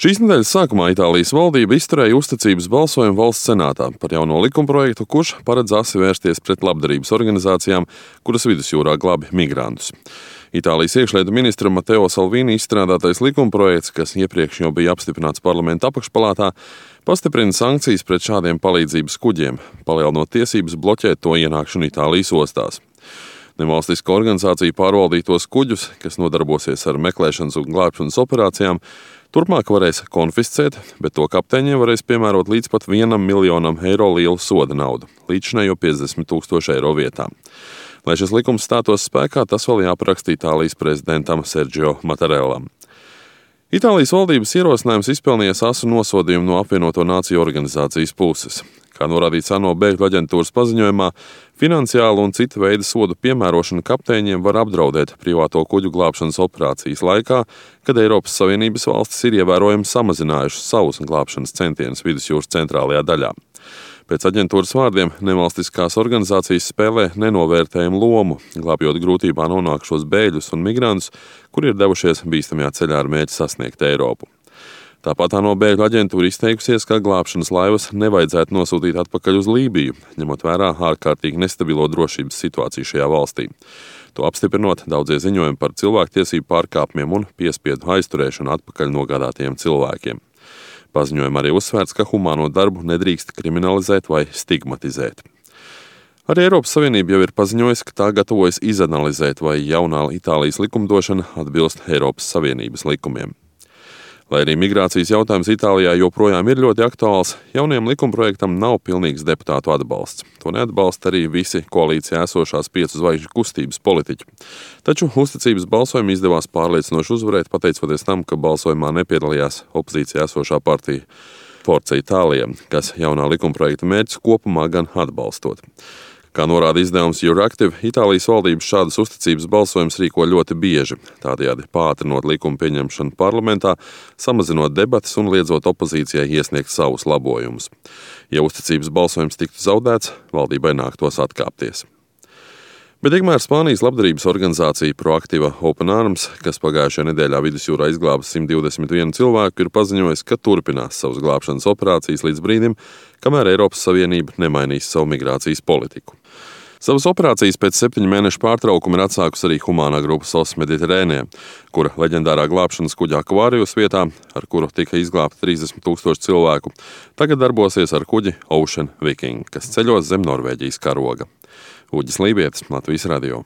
Šīs nedēļas sākumā Itālijas valdība izturēja uzticības balsojumu valsts senātā par jauno likumprojektu, kurš paredz asi vērsties pret labdarības organizācijām, kuras vidusjūrā glābi migrantus. Itālijas iekšlietu ministra Mateo Salvini izstrādātais likumprojekts, kas iepriekš jau bija apstiprināts parlamenta apakšpalātā, pastiprina sankcijas pret šādiem palīdzības kuģiem, palielinot tiesības bloķēt to ienākšanu Itālijas ostās. Nevalstisko organizāciju pārvaldītos kuģus, kas nodarbosies ar meklēšanas un glābšanas operācijām, turpmāk varēs konfiscēt, bet to kapteiņiem varēs piemērot līdz pat 1 miljonam eiro lielu soda naudu, līdzinējo 50,000 eiro vietā. Lai šis likums stātos spēkā, tas vēl jāparaksta Itālijas prezidentam Sergio Mattarellam. Itālijas valdības ierosinājums izpelnījās asu nosodījumu no apvienoto nāciju organizācijas puses. Kā norādīts ANO bēgļu aģentūras paziņojumā, finansiālu un citu veidu sodu piemērošana kapteiņiem var apdraudēt privāto kuģu glābšanas operācijas laikā, kad Eiropas Savienības valstis ir ievērojami samazinājušas savus glābšanas centienus vidusjūras centrālajā daļā. Pēc aģentūras vārdiem, nevalstiskās organizācijas spēlē nenovērtējumu lomu, glābjot grūtībā nonākušos bēgļus un migrantus, kuri ir devušies bīstamajā ceļā ar mērķi sasniegt Eiropu. Tāpat ANO bēgļu aģentūra izteikusies, ka glābšanas laivas nevajadzētu nosūtīt atpakaļ uz Lībiju, ņemot vērā ārkārtīgi nestabilo drošības situāciju šajā valstī. To apstiprinot daudzie ziņojumi par cilvēktiesību pārkāpumiem un piespiedu aizturēšanu atpakaļ nogādātiem cilvēkiem. Paziņojumā arī uzsvērts, ka humāno darbu nedrīkst kriminalizēt vai stigmatizēt. Arī Eiropas Savienība jau ir paziņojusi, ka tā gatavojas izanalizēt, vai jaunā Itālijas likumdošana atbilst Eiropas Savienības likumiem. Lai arī migrācijas jautājums Itālijā joprojām ir ļoti aktuāls, jaunajam likumprojektam nav pilnīgs deputātu atbalsts. To neatbalsta arī visi koalīcijā esošās 5 zvaigžņu kustības politiķi. Taču uzticības balsojumu izdevās pārliecinoši uzvarēt, pateicoties tam, ka balsojumā nepiedalījās opozīcijā esošā partija Forza Itālija, kas jaunā likumprojekta mērķus kopumā gan atbalstot. Kā norāda izdevums Euractiv, Itālijas valdības šādas uzticības balsojumus rīko ļoti bieži, tādējādi pātrinot likumu pieņemšanu parlamentā, samazinot debatas un liedzot opozīcijai iesniegt savus labojumus. Ja uzticības balsojums tiktu zaudēts, valdībai nāktos atkāpties. Bet tikmēr Spānijas labdarības organizācija Proactiva Open Arms, kas pagājušajā nedēļā vidusjūrā izglāba 121 cilvēku, ir paziņojis, ka turpinās savas glābšanas operācijas līdz brīdim, kamēr Eiropas Savienība nemainīs savu migrācijas politiku. Savas operācijas pēc 7 mēnešu pārtraukuma ir atsākusi arī humānā grupa SOS Mediterrānea, kura leģendārā glābšanas kuģa Aquarius vietā, ar kuru tika izglābta 30,000 cilvēku, tagad darbosies ar kuģi Ocean Viking, kas ceļos zem Norvēģijas karoga. Uģis Lībietis, Latvijas radio.